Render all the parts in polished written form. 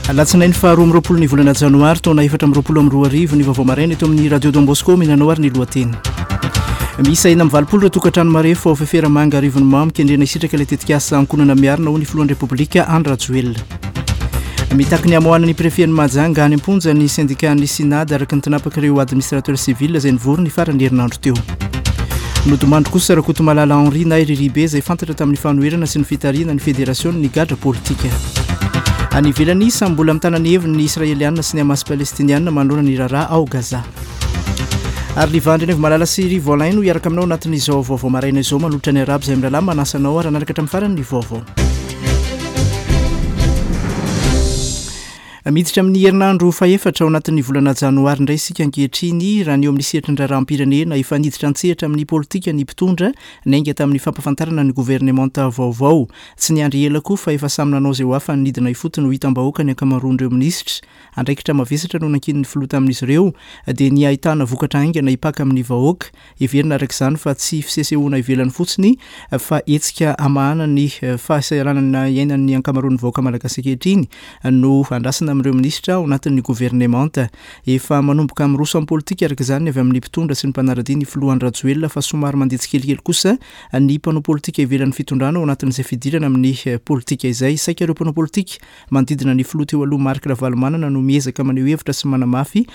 Alatsinainy faha 22 ny volana janoary taona 2024 ny vaovao maraina eto amin'ny Radio Don Bosco minanao ary ny lohateny. Miisa 86 ireo tokantrano marefo ao Feferamanga Arivonimamo kendrena hisitraka ilay tetikasa ankohonana miarina hoy ny filohan'ny Repoblika Andry Rajoelina. Mitaky ny hamoahana ny prefet-n'i Mahajanga any am-ponja ny sendikan'ny Synad araka ny tinapak'ireo administrateur civil izay nivory ny faran'ny herinandro teo. Nodimandry kosa Rakotomalala Henri na i Riribe izay fantatra tamin'ny fanoherana sy ny fitarihana ny federasionin'ny gadra politika. Any ivelany, samy mbola mitana ny heviny ny Israelianina sy ny Hamas Palestiniana manoloana ny raharaha ao Gaza. Ary Liva Andrianaivomalala sy Rivo Alain no hiaraka aminao anatin'izao vaovao maraina izao manolotra ny Arabo izay mirahalahy manasa anao ary hanaraka hatramin'ny farany ny vaovao. Miditra amin'ny herinandro fahefatra ao anatin'ny volana janoary indray isika ankehitriny. Raha ny eo amin'ny sehatry ny raharaham-pirenena, efa niditra an-tsehatra amin'ny politika ny mpitondra, niainga tamin'ny fampahafantarana ny governemanta vaovao. Tsy niandry ela koa fa efa samy nanao izay ho afany nidina ifotony ho hitam-bahoaka ny ankamaroan'ireo minisitra. Andraikitra mavesatra no nankinin'ny filoha tamin'izy ireo, dia ny hahitana vokatra haingana hipaka amin'ny vahoaka. Heverina araka izany fa tsy fisesehoana ivelany fotsiny fa hetsika hamahana ny fahasahiranana iainan'ny ankamaroan'ny vahoaka malagasy ankehitriny no andrasana amin'ireo minisitra ao anatin'ny governemanta. Efa manomboka miroso amin'ny politika araka izany ny avy amin'ny mpitondra sy ny mpanara-dia ny filoha Andry Rajoelina fa somary mandeha tsikelikely kosa ny mpanao politika ivelan'ny fitondrana ao anatin'izay fidirana amin'ny politika izay. Saika ireo mpanao politika Manodidina ny filoha teo aloha Marc Ravalomanana no miezaka maneho hevitra sy manamafy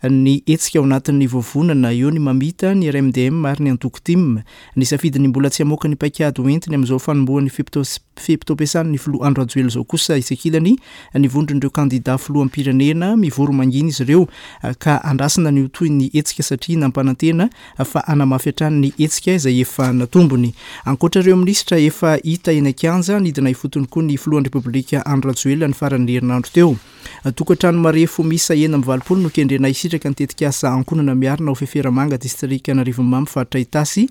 ny hetsika ao anatin'ny vovonana. Eo ny mamita, ny RMDM ary ny antoko tim. Nisafidy ny mbola tsy hamoaka ny paikady hoentiny amin'izao fanombohan'ny fe-potoam-piasany ny filoha Andry Rajoelina izao kosa etsy ankilany ny vondron'ireo kandida filoham-pirenena. Mivory mangina izy ireo ka andrasana ny ho tohin'ny hetsika satria nampanantena fa hanamafy hatrany ny hetsika izay efa natombony. Ankoatra ireo minisitra efa hita eny an-kianja, nidina ifotony koa ny filohan'ny Repoblika Andry Rajoelina ny faran'ny herinandro teo. Tokantrano marefo miisa 86 no kendrena hisitraka ny tetikasa Ankohonana Miarina ao Feferamanga, distrikan'Arivonimamo, faritra Itasy.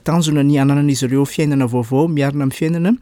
Tanjona ny hananan'izy ireo fiainana vaovao miarina amin'ny fiainana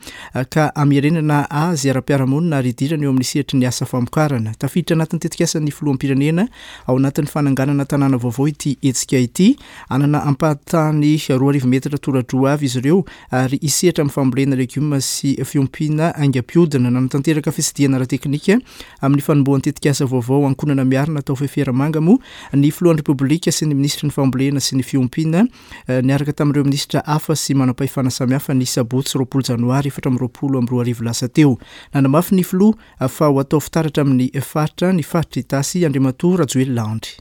ka hamerenana azy ara-piarahamonina ary hidirana eo amin'ny sehatry ny asa famokarana. Tafiditra anatin'ny tetikasan'ny filoham-pirenena Ao anatin'ny fananganana tanàna vaovao ity hetsika ity. Hanana ampahan-tany 2000 metatra tora-droa avy izy ireo ary hisehatra amin'ny fambolena legioma sy fiompiana haingam-pihodina. Nanatanteraka fitsidihana ara-teknika amin'ny fanombohan'ny tetikasa vaovao Ankohonana Miarina tao Feferamanga moa ny filohan'ny Repoblika sy ny minisitry ny fambolena sy ny fiompiana niaraka tamin'ireo minisitra hafa sy manampahefana samihafa ny sabotsy 20 janoary 2024 lasa teo. Nanamafy ny filoha Fa ho atao fitaratra amin'ny faritra ny faritra Itasy, Andriamatoa Rajoelina Andry.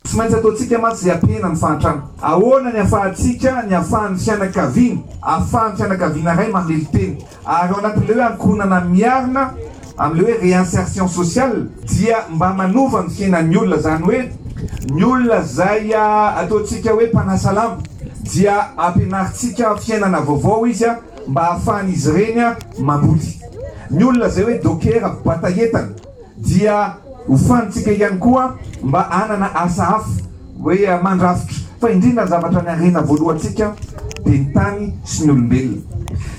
Tsy maintsy ataontsika mantsy izay hampihena ny fahantrana. Ahoana ny ahafahantsika, ny ahafahan'ny fianakaviana, ahafahan'ny fianakaviana iray mamelon-tena. Ary ao anatin'ilay hoe ankohonana miarina, amin'ilay hoe réinsertion sociale, dia mba manova ny fiainan'ny olona. Izany hoe ny olona izay ataontsika hoe mpanasa lamba dia ampianarintsika fiainana vaovao izy mba ahafahan'izy ireny mamboly. Ny olona izay hoe dokera mpibata entana dia hofanintsika ihany koa mba hanana asa hafa hoe mandrafitra fa indrindra ny zavatra ny harena voalohantsika dia ny tany sy ny olombelona.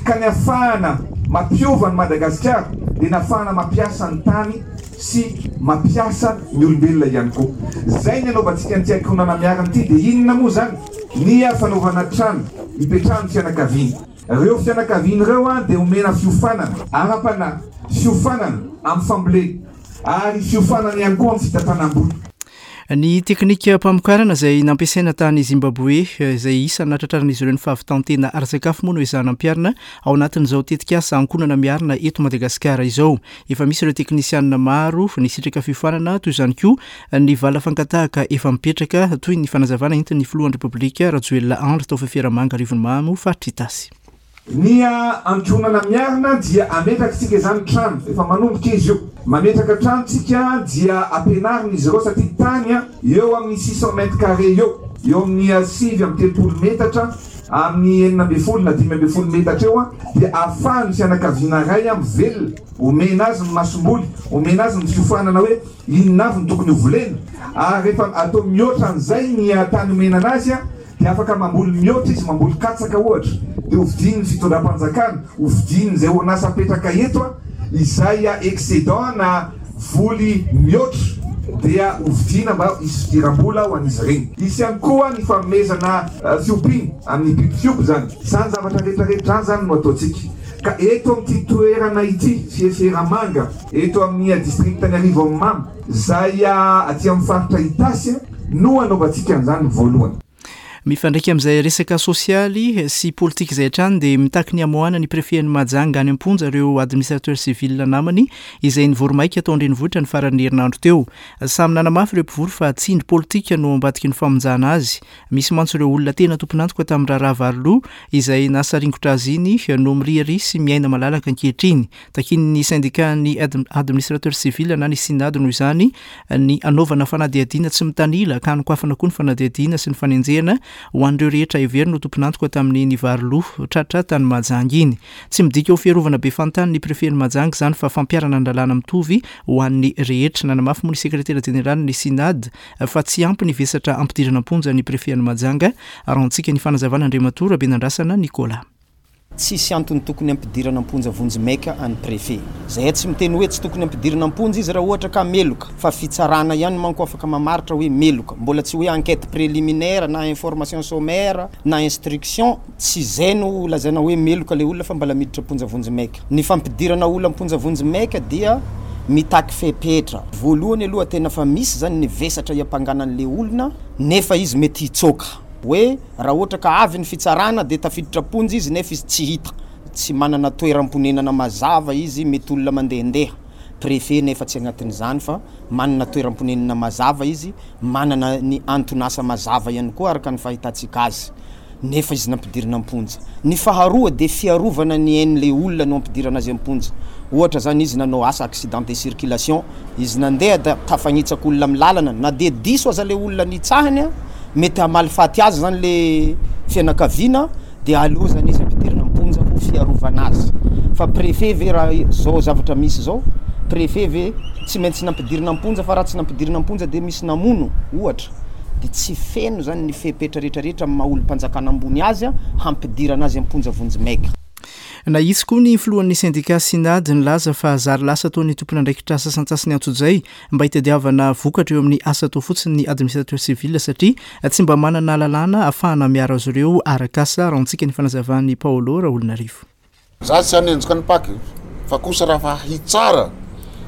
Ka ny afahana mampiova an'i Madagasikara dia ny afahana mampiasa ny tany sy mampiasa ny olombelona ihany koa. Izay ny anaovantsika an'ity ankohonana miarina ity dia inona moa izany? Ny fanaovana trano hipetrahan'ny fianakaviana. Ireo fianakaviana ireo dia omena fiofanana ara-panahy, fiofanana amin'ny fambolena ary fiofanana ihany koa amin'ny fitantanam-bola. Ny teknikam-pamokarana izay nampiasaina tany Zimbaboe, izay isan'ny nahatratraran'izy ireo ny fahavitan-tena ara-tsakafo moa no ezahana ampiharina ao anatin'izao tetikasa Ankohonana Miarina eto Madagasikara izao. Efa misy ireo teknisianina maro nisitraka fiofanana, toy izany koa Ny vala fangatahaka efa mipetraka, toy ny fanazavana entin'ny filohan'ny Repoblika, Rajoelina Andry tao Feferamanga Arivonimamo, faritra Itasy. Ny ankohonana miarina dia ametraka tsika izany trano, efa manomboka izy io, mametraka trano tsika dia ampianarina izy ireo satria tany eo amin'ny 600 mètres carrés eo, eo amin'ny 39 metatra amin'ny 16 na 15 metatra eo dia ahafahan'ny fianakaviana iray mivelona, omena azy ny masomboly, omena azy ny fiofanana hoe Inona avy no tokony ho volena? Ary rehefa atao mihoatra an'izay ny tany omena anazy dia afaka mamboly mihoatra izy, mamboly katsaka ohatra, dia hovidian'ny fitondram-panjakana, hovidian'izay orinasa apetraka eto izay excédent na voly mihoatra dia hovidiana mba hisy fidiram-bola ho an'izy ireny. Hisy ihany koa ny fanomezana fiompiana amin'ny biby fiompy izany. Izany zavatra rehetra rehetra izany izany no ataontsika. Ka eto amin'ity toerana ity, Fieferamanga, eto amin'ny distrikan'i Arivonimamo, izay aty amin'ny faritra Itasy no hanaovantsika an'izany voalohany. Mifandraika amin'izay resaka sosialy sy politika izay hatrany dia mitaky ny hamoahana ny prefet-n'i Mahajanga any am-ponja ireo administrateur civil namany izay nivory maika tao an-drenivohitra ny faran'ny herinandro teo. Samy nanamafy ireo mpivory fa tsindry politika no ao ambadiky ny famonjana azy. Misy mantsy ireo olona tena tompon'antoka tamin'ny raharaha Varoloha izay nahasaringotra azy iny no miriaria sy miaina malalaka ankehitriny. Takian'ny syndicat-n'ny administrateur civil na ny Synad noho izany ny hanaovana fanadihadiana tsy mitanila ka hanokafana koa ny fanadihadiana sy ny fanenjehana ho an'ireo rehetra heverina ho tompon'antoka tamin'iny vary lo tratra tany Mahajanga iny. Tsy midika ho fiarovana be fantany ny prefet-n'i Mahajanga izany fa fampiharana ny lalàna mitovy ho an'ny rehetra. Nanamafy moa ny sekretera jeneralin'ny Synad fa tsy ampy ny vesatra hampidirana am-ponja ny prefet-n'i Mahajanga. Arahantsika ny fanazavana Andriamatoa Rabenandrasana Nicolas. Tsisy antony tokony hampidirana am-ponja vonjimaika an'i Préfet. Zahay tsy miteny hoe tsy tokony hampidirina am-ponja izy raha ohatra ka meloka, fa fitsarana ihany manko afaka mamaritra hoe meloka. Mbola tsy hoe enquête préliminaire na information sommaire na instruction, tsy izay no lazaina hoe meloka ilay olona fa mbola miditra am-ponja vonjimaika. Ny fampidirana olona am-ponja vonjimaika dia mitaky fepetra. Voalohany aloha tena fa misy zany ny vesatra iampangana an'ilay olona nefa izy mety hitsoaka. Hoe raha ohatra ka avy ny fitsarana dia tafiditra am-ponja izy nefa izy tsy hita, tsy manana toeram-ponenana mazava izy, mety olona mandehandeha, préfet nefa tsy agnatin'izany fa manana toeram-ponenana mazava izy, manana ny anton'asa mazava ihany koa araka ny fahitantsika azy nefa izy nampidirina am-ponja. Ny faharoa dia fiarovana ny ain'ilay olona no ampidirana azy am-ponja. Ohatra zany izy nanao asa accident de circulation, Izy nandeha da tafagnitsaka olona amin'ny lalana, na dia diso aza le olona nitsahiny, mety hamaly faty azy zany le fianakaviana, dia aleo zany izy ampidirina am-ponja ho fiarovana azy. Fa préfet ve raha zao zavatra misy zao, préfet ve tsy maintsy nampidirina am-ponja fa raha tsy nampidirina am-ponja dia misy namono ohatra, dia tsy feno zany ny fepetra retraretra amin'ny maha olom-panjakana ambony azy hampidirana azy am-ponja vonjimaika. Nahitsy koa ny filohan'ny sendika Synad nilaza fa zary lasa toa ny tompon'andraikitra sasantsasany antsojay mba hitadiavana vokatra eo amin'ny asa atao fotsiny ny administrateur civil satria tsy mba manana lalàna ahafahana miaro azy ireo arak'asa, raha antsika ny fanazavan'i Paolo Raolonarivo. Za tsy hanenjika ny Pac fa kosa raha fa hitsara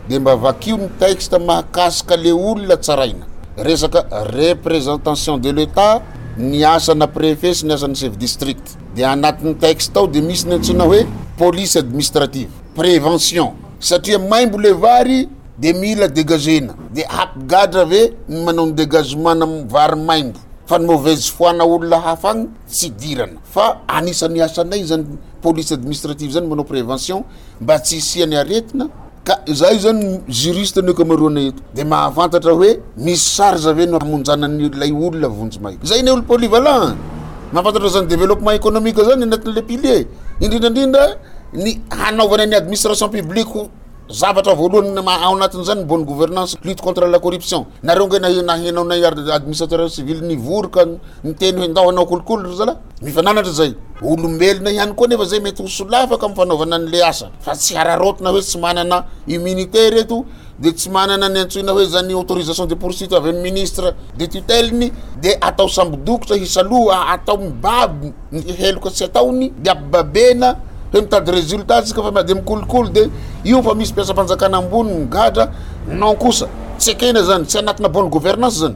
de mba vakio ny texte mahakasika le olona tsaraina. Resaka representation de l'Etat ny asana préfet sy ny asan'ny chef district. Dia anatin'ny texte ao dia misy ny antsoina hoe police administrative, prévention, satria maimbo le vary dia mila degagena, dia hampigadra ve ny manao ny dégagement na vary maimbo, fa ny mauvaise foi na olona hafa agny tsy idirana, fa anisan'ny asanay zany police administrative zany manao prévention mba tsy hisian'ny aretina, Ka izahay zany juriste ny ankamaroanay eto de mahafantatra hoe misy charge ve no hamonjana ny ilay olona vonjimaika. Zay ny olo polyvalent an! Mahafantatra zany développement économique zany anatin'le pilier, indrindra indrindra ny hanaovana ny administration publique ho zavatra voalohany ao anatin'izany ny bonne gouvernance, lutte contre la corruption. Nareo nge naheno anay administrateur civil nivory ka niteny hoe ndao hanao kolikoly ry zalahy? Mifananatra zay. Olombelona ihany koa nefa zay mety ho solafaka amin'ny fanaovana an'le asa fa tsy hararaotina hoe tsy manana immunité reto de tsy manana ny antsoina hoe zany autorisation de poursuite avy amin'ny ministre de tutelle-ny de atao sambo-dokotra hisaloha atao mibaby ny heloka tsy ataony de ampibabena hoe mitady résultat tsika fa miady amin'ny kolikoly de io fa misy mpiasam-panjakana ambony migadra non kosa tsy ekena zany tsy anatina bonne gouvernance zany.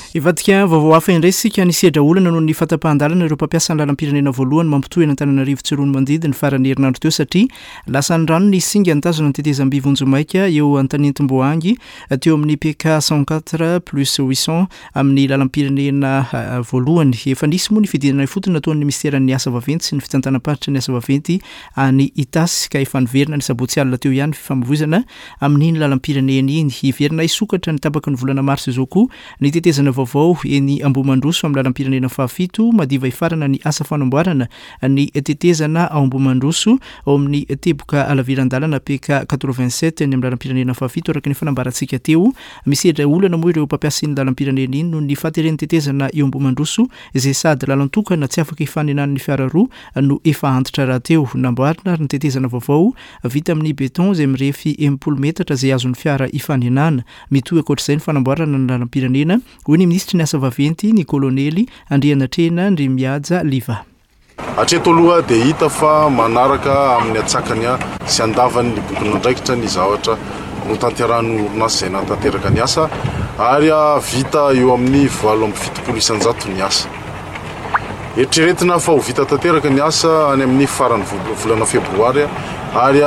Hivadika vaovao hafa indray isika, nisedra olana noho ny fahatapahan-dalana ireo mpampiasa ny lalam-pirenena voalohany mampitohy an'Antananarivo Tsiroanomandidy ny faran'ny herinandro teo satria lasan'ny rano ny singa nitazona ny tetezam-by vonjimaika eo Antanentimboahangy teo amin'ny PK 104 plus 800 amin'ny lalam-pirenena voalohany. Efa nisy moa ny fidinana ifotony nataon'ny minisiteran'ny asa vaventy sy ny fitantanam-paritry ny asa vaventy any Itasy ka efa niverina ny sabotsy alina teo ihany ny fifamoivoizana amin'iny lalam-pirenena iny. Hiverina hisokatra ny tapaky ny volana marsa izao koa ny tetezana vaovao eny Ambohimandroso amin'ny lalam-pirenena fahafito. Madiva hifarana ny asa fanamboarana ny tetezana ao Ambohimandroso ao amin'ny teboka halaviran-dalana PK 87 eny amin'ny lalam-pirenena fahafito araka ny fanambarantsika teo. Misedra olana moa ireo mpampiasa iny lalam-pirenena iny noho ny fahateren'ny tetezana eo Ambohimandroso izay sady lalan-tokana tsy afaka hifanenan'ny fiara roa no efa antitra rahateo. Namboarina ary ny tetezana vaovao Vita amin'ny béton izay mirefy 60 metatra izay azon'ny fiara ifanenana. Mitohy ankoatr'izay ny fanamboarana ny lalam-pirenena, hoy ny minisitry ny asa vaventy, ny kolonely Andrianatrehina Ndrimihaja Liva. Hatreto aloha dia hita fa manaraka amin'ny antsakany sy andavany ny bokin'andraikitra ny zavatra notanterahin'ny orinasa izay nahatanteraka ny asa ary vita eo amin'ny 78% ny asa. Eritreretina fa ho vita tanteraka ny asa any amin'ny faran'ny volana febroary ary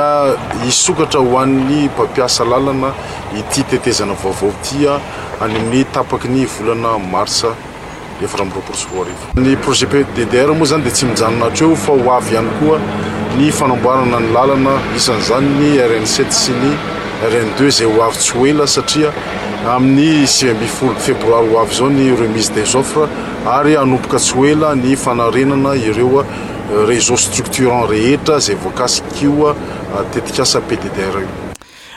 hisokatra ho an'ny mpampiasa lalana ity tetezana vaovao ity any amin'ny tapaky ny volana marsa 2024. Ny projet PDDR moa izany dia tsy mijanona hatreo fa ho avy ihany koa ny fanamboarana ny lalana, isan'izany ny RN 7 sy ny RN 2 izay ho avy tsy ho ela satria amin'ny 19 febroary ho avy izao ny remise des offres ary hanomboka tsy ho ela ny fanarenana ireo réseau structurant rehetra izay voakasik'io tetikasa PDDR io.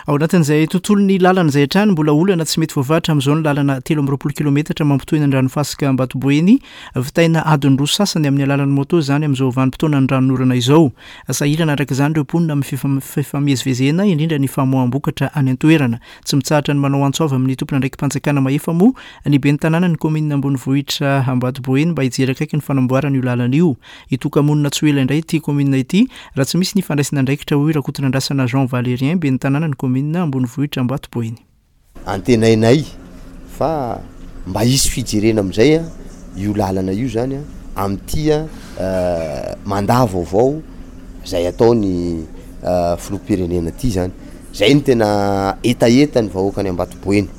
Ao anatin'izay tontolon'ny lalana izay hatrany, mbola olana tsy mety voavaha hatramin'izao ny lalana 23 kilometatra mampitohy an'Andranofasika Ambatoboeny. Vitaina adiny roa sasany amin'ny alalan'ny moto izany amin'izao vanim-potoanan'ny ranonorana izao. Sahirana araka izany ireo mponina amin'ny fifamezivezena, indrindra ny famoaham-bokatra any an-toerana. Tsy mitsahatra ny manao antso avo amin'ny tompon'andraiki-panjakana mahefa moa ny ben'ny tanànan'ny kaominina ambonivohitra Ambatoboeny mba hijery akaiky ny fanamboarana io lalana io. Hitoka-monina tsy ho ela indray ity kaominina ity raha tsy misy ny fandraisana andraikitra hoy Rakotonandrasana Jean Valérien, ben'ny tanànan'ny kaominina ambonivohitra Ambatoboeny. Antenainay fa mba hisy fijerena amin'izay io lalana io zany amin'ity mandat vaovao izay ataon'ny filoham-pirenena ity zany. Zay no tena hetahetan'ny vahoakan'i Ambatoboeny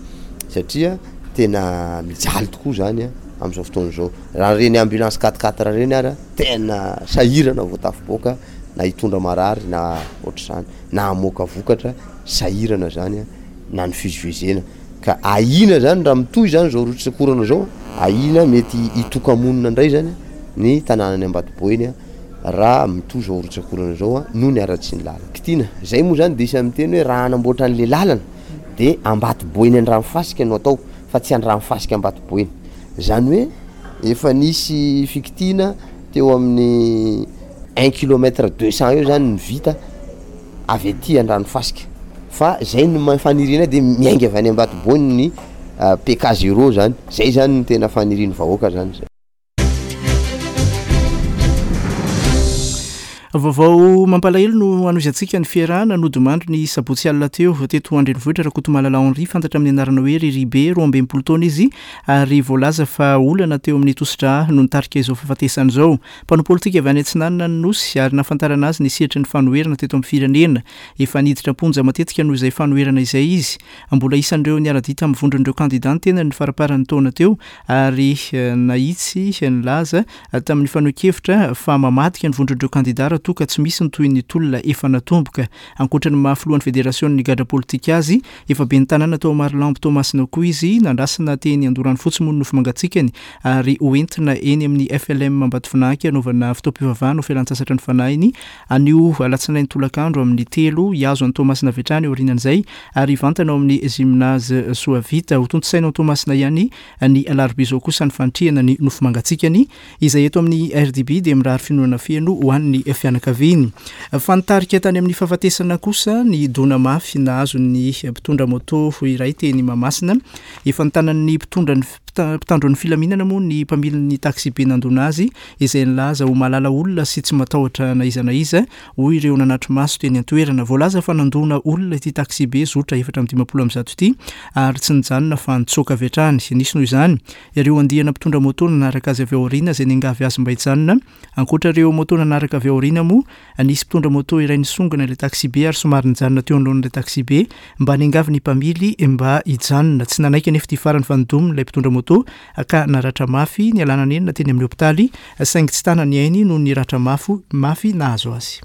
satria tena mijaly tokoa zany amin'izao fotoana izao. Raha ireny ambulance quatre quatre ireny ara tena sahirana vao tafiboaka na hitondra marary na ohatr'izany na hamoaka vokatra sahirana zany na ny fivezivezena ka ahiana zany raha mitohy zany zao rotsak'orana zao ahiana mety hitoka-monina indray zany ny tanànan'i Ambatoboeny raha mitohy zao rotsak'orana zao noho ny haratsian'ny lalana. Kitina, zay moa zany de isan'ny miteny hoe raha hanamboatra an'le lalana de Ambatoboeny Andranofasika no atao fa tsy Andranofasika Ambatoboeny. Zany hoe efa nisy fikitiana teo amin'ny un kilomètre deux cent eo zany ny vita avy aty Andranofasika fa zay no ma- fanirianay de miainga avy any Ambatoboeny ny PK zéro zany, zay zany no tena fanirian'ny vahoaka zany zay. Vaovao mampalahelo no hanohizantsika ny fiarahana nodimandry ny sabotsy alina teo teto an-drenivohitra Rakotomalala Henri, fantatra amin'ny anarana hoe Riribe, 62 taona izy ary voalaza fa olana teo amin'ny tosidra no nitarika izao fahafatesany izao. Mpanao politika avy any atsinanana ny Nosy ary nahafantarana azy ny sehatry ny fanoherana teto amin'ny firenena. Efa niditra am-ponja matetika noho izay fanoherana izay izy. Mbola isan'ireo niara-dia tamin'ny vondron'ireo kandidà ny tenany ny faramparan'ny taona teo ary nahitsy nilaza tamin'ny fanehoan-kevitra fa mamadika ny vondron'ireo kandidà raha toa ka tsy misy ny tohin'ny tolona efa natomboka. Ankoatra ny maha filohan'ny federasionin'ny gadra politika azy, efa ben'ny tanàna tao Marolambo Toamasina koa izy, nandrasana teny Andoranofotsy moa ny nofo mangatsiakany ary hoentina eny amin'ny FLM Ambatofinanky hanaovana fotoam-pivavahana ho fialantsasatra ny fanahiny anio alatsinainy tolakandro amin'ny telo, hihazo an'i Toamasina avy hatrany aorianan'izay ary hivantana ao amin'ny Gymnase Soavita. Hotontosaina ao Toamasina ihany ny alarobia izao kosa ny fanitrihana ny nofo mangatsiakany izay eto amin'ny RDB dia mirary finoana feno ho an'ny fianakaviany. Fa nitarika tany amin'ny fahafatesana kosa ny dona mafy nahazo ny mpitondra moto iray teny Mahamasina. Efa notanan'ny mpitondra ny mpitandro ny filaminana moa ny mpamilin'ny taxibe nandona azy izay nilaza ho mahalala olona sy tsy matahotra na iza na iza hoy ireo nanatri-maso teny an-toerana. Voalaza fa nandona olona ity taxibe zotra 154 ity ary tsy nijanona fa nitsoaka avy hatrany. Nisy noho izany ireo andiana mpitondra moto nanaraka azy avy ao aoriana izay niangavy azy mba hijanona. Ankoatra ireo moto nanaraka avy ao aoriana moa, nisy mpitondra moto iray nisongona ilay taxibe ary somary nijanona teo anoloan'ilay taxibe mba niangavy ny mpamily mba hijanona. Tsy nanaiky anefa ity farany fa nidominy ilay mpitondra moto ka naratra mafy nialana nenina teny amin'ny hopitaly saingy tsy tana ny ainy noho ny ratra mafy mafy nahazo azy.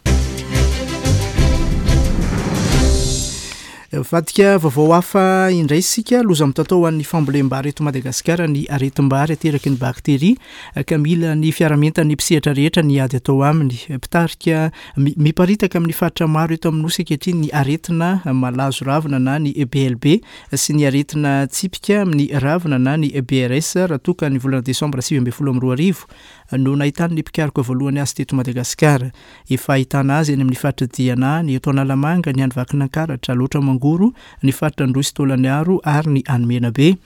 Vadika vaovao hafa indray isika, loza mitatao ho an'ny fambolem-bary eto Madagasikara ny aretim-bary ateraky ny bakteria ka mila ny fiarahamientan'ny mpisehatra rehetra ny ady atao aminy. Mpitarika miparitaka amin'ny faritra maro eto amin'ny Nosy ankehitriny ny aretina malazo ravina na ny BLB sy ny aretina tsipika amin'ny ravina na ny BRS raha toa ka ny volana desambra 2019. no nahitan'ny mpikaroka voalohany azy teto Madagasikara. Efa ahitana azy any amin'ny faritra Diana, ny eto Analamanga, ny any Vakinankaratra, Alaotra Mangoro, ny faritra Androy sy Taolagnaro ary ny any Menabe.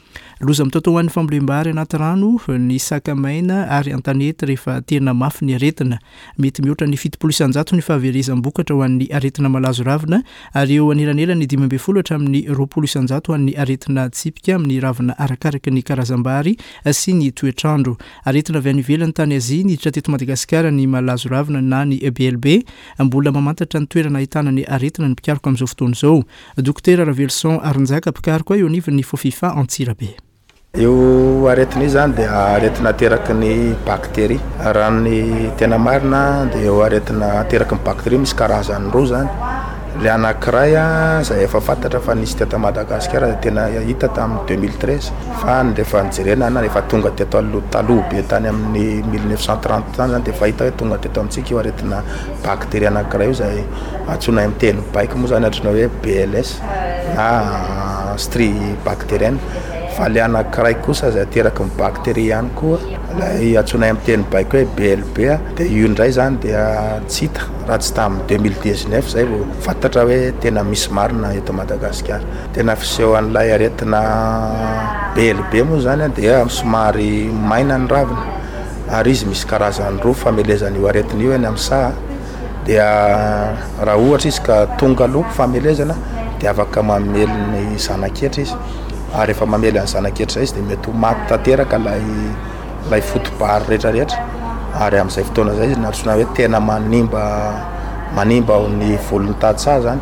Loza mitaotao ho an'ny fambolem-bary anaty rano, ny saka maina ary an-tanety rehefa tena mafy ny aretina. Mety mihoatra ny 70% ny fahaverezam-bokatra ho an'ny aretina malazo ravina ary eo anelanelan'ny 15 hatramin'ny 20% ho an'ny aretina tsipika amin'ny ravina arakaraka ny karazam-bary sy ny toetr'andro. Aretina avy any ivelany tany Azia niditra teto Madagasikara ny malazo ravina na ny BLB. Mbola mamantatra ny toerana ahitana ny aretina ny mpikaroka amin'izao fotoana izao. Dokotera Raveloson Harinjaka, mpikaroka eo anivon'ny Fofifa Antsirabe. Io aretina io izany dia aretina ateraky ny bakteria. Raha ny tena marina dia io aretina ateraky ny bakteria misy karazany roa izany. Ilay anankiray izay efa fantatra fa nisy teto Madagasikara izay tena hita tamin'ny 2013 fa ny rehefa nojerena na efa tonga teto aloha taloha be tany amin'ny 1930 tany izany dia efa hita hoe tonga teto amintsika io aretina bakteria anankiray io izay antsoina amin'ny teny baiko moa izany antsoina hoe BLS na strie bactérienne fa ilay anankiray kosa izay ateraky ny bakteria ihany koa ilay antsoina amin'ny teny baiko hoe BLB dia io indray izany dia tsy hita raha tsy tamin'ny 2019 izay vao fantatra hoe tena misy marina eto Madagasikara. Tena fisehoan'ilay aretina BLB moa izany dia somary maina ny ravina ary izy misy karazany roa famelezana io aretina io eny amin'ny saha. Dia raha ohatra izy ka tonga aloha famelezana dia afaka mamely ny zana-ketra izy ary rehefa mamely ny zana-ketra izay izy dia mety ho maty tanteraka ilay ilay foto-bary rehetra rehetra ary amin'izay fotoana izay izy no antsoina hoe tena manimba manimba ny volin'ny tantsaha izany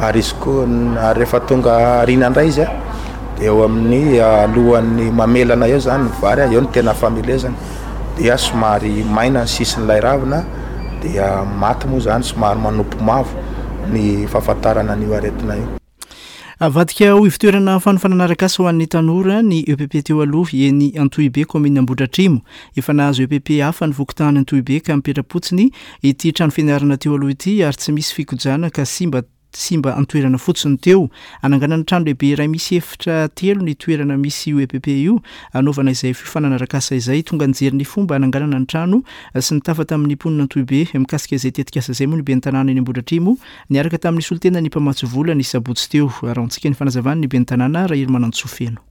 ary izy koa ary rehefa tonga aoriana indray izy an dia eo amin'ny alohan'ny mamelana eo izany ny vary an, eo no tena famelezana. dia somary maina ny sisin'ilay ravina dia maty moa izany somary manopy mavo ny fahafantarana an'io aretina io. Avadika ho ivotoerana fanofanana arak'asa ho an'ny tanora ny EPP teo aloha eny Antohibe, kaominina Ambohidratrimo. Efa nahazo EPP hafa ny fokontany Antohibe ka mipetra-potsiny ity trano fianarana teo aloha ity ary tsy misy fikojana ka simba simba an-toerana fotsiny teo. Ananganana trano lehibe iray misy efitra telo ny toerana misy io EPP io, hanaovana izay fiofanana arak'asa izay. Tonga nijery ny fomba hananganana ny trano sy nitafa tamin'ny mponina Antohibe mikasika izay tetikasa izay moa ny ben'ny tanàna eny Ambohidratrimo, niaraka tamin'ny solontenan'ny mpamatsy vola ny sabotsy teo. Arahantsika ny fanazavan'ny ben'ny tanàna Raherimanantsoa Feno.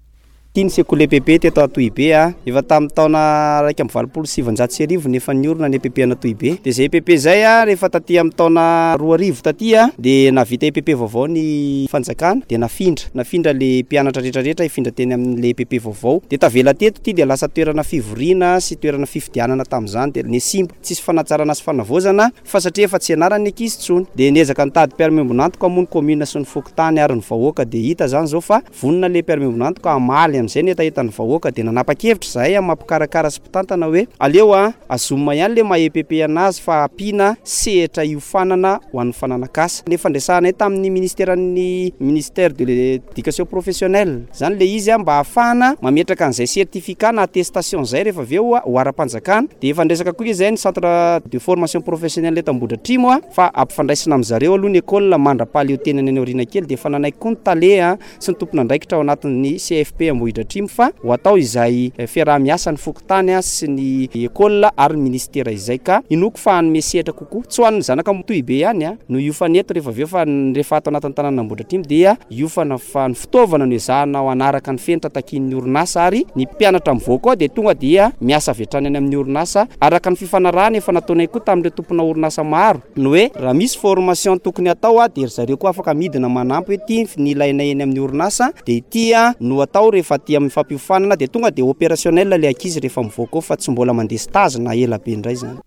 Ity ny sekoly EPP teto Antohibe a. Efa tamin'ny taona 1981 no efa niorina ny EPP an'Antohibe. Dia izay EPP izay a, rehefa taty amin'ny taona 2000 taty a, dia nahavita EPP vaovao ny fanjakana, dia nafindra. Nafindra ilay mpianatra rehetra rehetra hifindra teny amin'ilay EPP vaovao. Dia tavela teto ity dia lasa toerana fivoriana sy toerana fifidianana tamin'izany. Dia nihasimba. Tsisy fanatsarana sy fanavaozana fa satria efa tsy ianaran'ny ankizy intsony. Dia niezaka nitady mpiara-miombon'antoka moa ny commune sy ny fokontany ary ny vahoaka dia hita izany izao fa Vonona ilay mpiara-miombon'antoka hamaly amin'izay ny hetahetan'ny vahoaka dia nanapa-kevitra izahay amin'ny maha mpikarakara sy mpitantana hoe aleo azomina ihany ilay maha EPP anazy fa ampiana sehatra hiofanana ho an'ny fananak'asa. Ny fandresahanay tamin'ny ministeran'ny ministère de l'éducation professionnelle izany ilay izy mba hahafahana mametraka an'izay certificat na attestation izay rehefa avy eo ho ara-panjakana. Dia efa niresaka koa izay ny centre de formation professionnelle eto Ambohidratrimo fa ampifandraisina amin-dry zareo aloha ny école mandra-pahaleo tenany any aoriana kely dia efa nanaiky koa ny tale sy ny tompon'andraikitra ao anatin'ny CFP Ambohidratrimo fa ho atao izay fiaraha-miasa ny fokontany sy ny école ary ny ministera izay ka inoako fa hanome sehatra kokoa tsy ho an'ny zanaka Antohibe ihany no hiofana eto rehefa avy eo fa rehefa ato anatin'ny tanànan'Ambohidratrimo dia hiofana fa ny fitaovana no ezahana ho hanaraka ny fenitra takian'ny orinasa ary ny mpianatra mivoaka ao dia tonga dia miasa avy hatrany any amin'ny orinasa araka ny fifanarahana efa nataonay koa tamin'ireo tompona orinasa maro ny hoe raha misy formation tokony hatao dia ry zareo koa afaka midina manampy hoe ity ny ilainay eny amin'ny orinasa dia ity no atao rehefa aty amin'ny fampiofanana dia tonga dia opérationnel ilay ankizy rehefa mivoaka ao fa tsy mbola mandeha stage na ela be indray izany.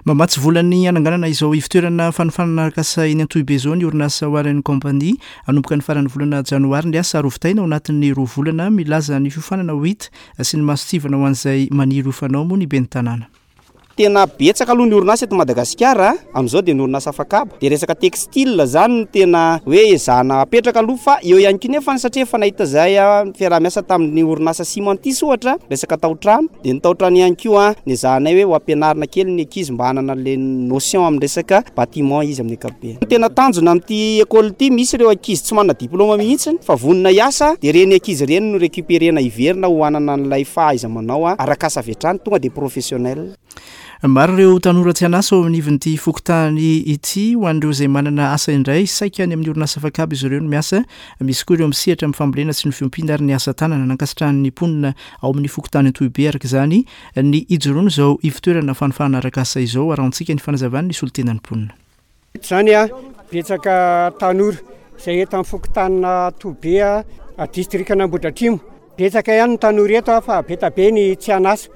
Mamatsy vola ny hananganana izao ivotoerana fanofanana arak'asa eny Antohibe izao ny orinasa Warren Company. Hanomboka ny faran'ny volana janoary ny asa ary hovitaina ao anatin'ny roa volana. Milaza ny fiofanana ho hita sy ny mason-tsivana ho an'izay maniry hofana ao moa ny ben'ny tanàna. tena betsaka aloha ny orinasa eto Madagasikara amin'izao dia ny orinasa afakaba. Dia resaka textile izany no tena hoe ezahana apetraka aloha fa eo ihany koa nefa satria efa nahita izahay fiaraha-miasa tamin'ny orinasa Cimentis ohatra resaka tao-trano dia ny tao-trano ihany koa nezahanay hoe ho ampianarina kely ny ankizy mba hanana an'ilay notion amin'ny resaka bâtiment izy amin'ny ankapobeny. Ny tena tanjona amin'ity école ity misy ireo ankizy tsy manana diplôme mihitsy fa vonona hiasa dia ireny ankizy ireny no récupérer-na hiverina ho hanana an'ilay fahaiza-manao arak'asa avy hatrany tonga dia professionnel. Maro ireo tanora tsy an'asa ao anivon'ity fokontany ity. Ho an'ireo izay manana asa indray, saika any amin'ny orinasa afakaba izy ireo no miasa. Misy koa ireo misehatra amin'ny fambolena sy ny fiompiana ary ny asa tanana. Nankasitrahan'ny mponina ao amin'ny fokontany Antohibe araka izany ny hijoroan'izao ivotoerana fanofanana arak'asa izao. Arahantsika ny fanazavan'ny solontenan'ny mponina. Eto izany betsaka tanora izay eto amin'ny fokontanin'Antohibe, distrikan'Ambohidratrimo. Betsaka ihany ny tanora eto fa be dia be ny tsy an'asa.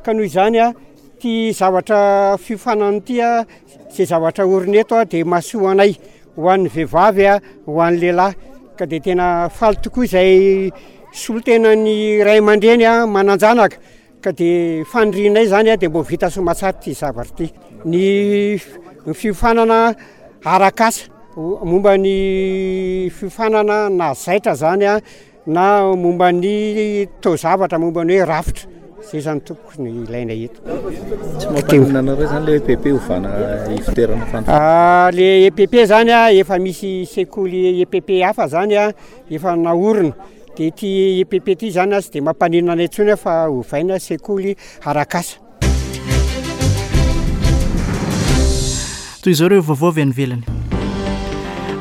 Ka noho izany, ity zavatra fiofanana ity, izay zavatra orina eto dia mahasoa anay, ho an'ny vehivavy, ho an'ny lehilahy. Ka dia tena faly tokoa izay solontenan'ny ray aman-dreny manan-janaka. Ka dia fanirianay izany dia mba ho vita soamatsara ity zavatra ity. Ny fiofanana arak'asa momba ny fiofanana na zaitra izany na momba ny taozavatra momba ny hoe rafitra. Izay izany tompoko no ilaina eto. Tsy mampaninona anareo izany ilay EPP ovana ivotoerana fanofanana? Ilay EPP izany efa misy sekoly EPP hafa izany efa naorina. Dia ity EPP ity izany tsy dia mampaninona anay intsony fa ovaina sekoly arak'asa. Toy izao ireo vaovao avy any ivelany.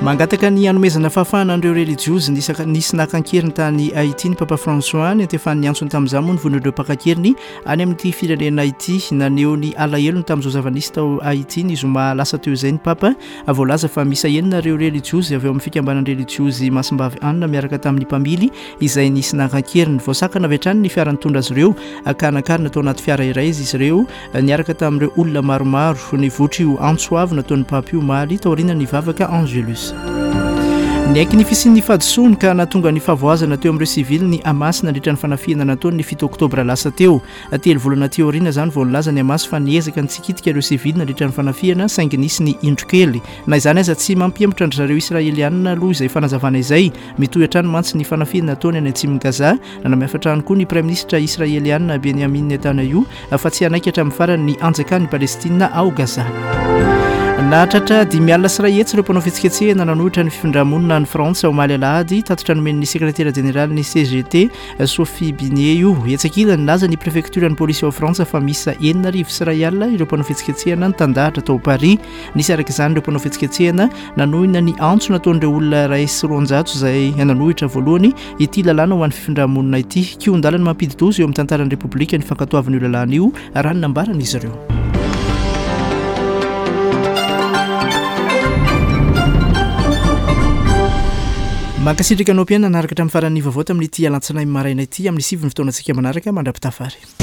Mangataka ny hanomezana fahafahana an'ireo relijiozy nisy naka an-keriny tany Haiti ny Papa François. Niantefan'ny antsony tamin'izany moa ny vonon'ireo mpaka an-keriny any amin'ity firenena ity. Naneho ny alahelony tamin'izao zava-nisy tao Haiti ny zoma lasa teo izay ny Papa. Voalaza fa miisa enina ireo relijiozy avy ao amin'ny fikambanan-drelijiozy Masimbavy Anna miaraka tamin'ny mpamily izay nisy naka an-keriny. Voasakana avy hatrany ny fiara nitondra azy ireo ka nakarina tao anaty fiara iray izy ireo niaraka tamin'ireo olona maromaro. Nivoitra io antso avo nataon'ny Papa io omaly taorian'ny vavaka Angelus. Niaiky ny fisian'ny fahadisoany ka nahatonga ny fahavoazana teo amin'ireo sivily ny Hamas nandritra ny fanafihana nataony ny fito oktobra lasa teo. Telo volana aty aoriana izany vao nilaza ny Hamas fa niezaka nitsikitika ireo sivily nandritra ny fanafihana saingy nisy ny indro kely. Na izany aza tsy mampihemotra an-dry zareo Israelianina aloha izay fanazavana izay. Mitohy hatrany mantsy ny fanafihana ataony any atsimon'i Gaza. Nanamafy hatrany koa ny praiminisitra Israelianina Benjamin Netanyahu fa tsy hanaiky hatramin'ny farany ny hanjakan'i Palestina ao Gaza. Nahatratra 150 ireo mpanao fihetsiketsehana nanohitra ny fifindra-monina any Frantsa omaly alahady, tatitra nomen'ny sekretera jeneralin'ny CGT Sophie Binet io. Etsy ankilany, nilaza ny prefektioran'ny polisy ao Frantsa fa miisa 1060 ireo mpanao fihetsiketsehana nitandahatra tao Paris. Nisy araka izany ireo mpanao fihetsiketsehana nanohina ny antso nataon'ireo olona 201 izay nanohitra voalohany ity lalàna ho an'ny fifindra-monina ity. Kihon-dalana mampidi-doza eo amin'ny tantaran'ny Repoblika ny fankatoavana io lalàna io, raha ny nambaran'izy ireo. Mankasitraka anao mpihaino nanaraka hatramin'ny faran'ny vaovao tamin'ity alatsinainy maraina ity. Amin'ny sivy ny fotoanantsika manaraka mandra-pitafary.